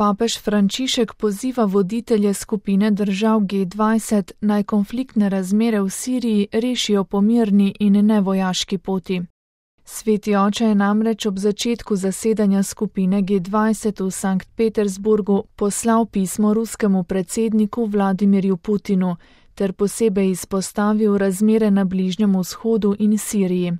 Papež Frančišek poziva voditelje skupine držav G20 naj konfliktne razmere v Siriji rešijo po mirni in nevojaški poti. Sveti oče je namreč ob začetku zasedanja skupine G20 v Sankt Petersburgu poslal pismo ruskemu predsedniku Vladimirju Putinu ter posebej izpostavil razmere na Bližnjem vzhodu in Siriji.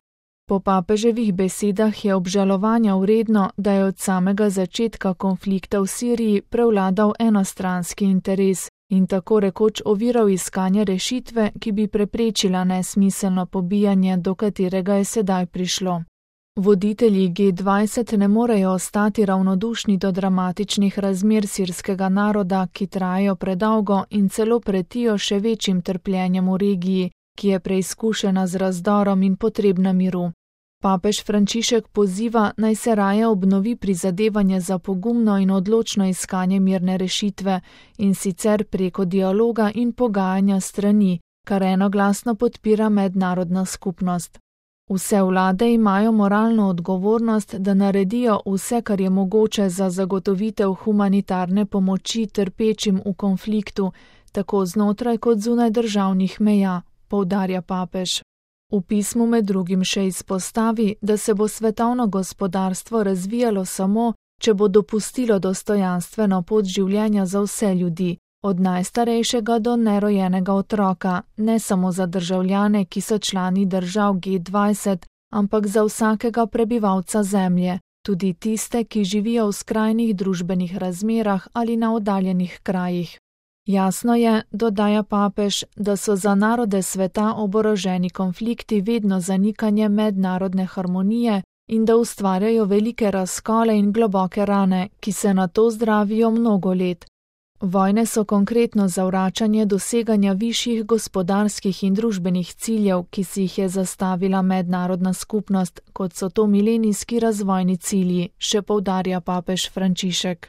Po papeževih besedah je obžalovanja vredno, da je od samega začetka konflikta v Siriji prevladal enostranski interes in tako rekoč oviral iskanje rešitve, ki bi preprečila nesmiselno pobijanje, do katerega je sedaj prišlo. Voditelji G20 ne morejo ostati ravnodušni do dramatičnih razmer sirskega naroda, ki trajajo predolgo in celo pretijo še večjim trpljenjem v regiji, ki je preizkušena z razdorom in potrebna miru. Papež Frančišek poziva, naj se raje obnovi prizadevanje za pogumno in odločno iskanje mirne rešitve, in sicer preko dialoga in pogajanja strani, kar enoglasno podpira mednarodna skupnost. Vse vlade imajo moralno odgovornost, da naredijo vse, kar je mogoče za zagotovitev humanitarne pomoči trpečim v konfliktu, tako znotraj kot zunaj državnih meja, poudarja papež. V pismu med drugim še izpostavi, da se bo svetovno gospodarstvo razvijalo samo, če bo dopustilo dostojanstveno pot življenja za vse ljudi, od najstarejšega do nerojenega otroka, ne samo za državljane, ki so člani držav G20, ampak za vsakega prebivalca zemlje, tudi tiste, ki živijo v skrajnih družbenih razmerah ali na oddaljenih krajih. Jasno je, dodaja papež, da so za narode sveta oboroženi konflikti vedno zanikanje mednarodne harmonije in da ustvarjajo velike razkole in globoke rane, ki se nato zdravijo mnogo let. Vojne so konkretno zavračanje doseganja višjih gospodarskih in družbenih ciljev, ki si jih je zastavila mednarodna skupnost, kot so to milenijski razvojni cilji, še poudarja papež Frančišek.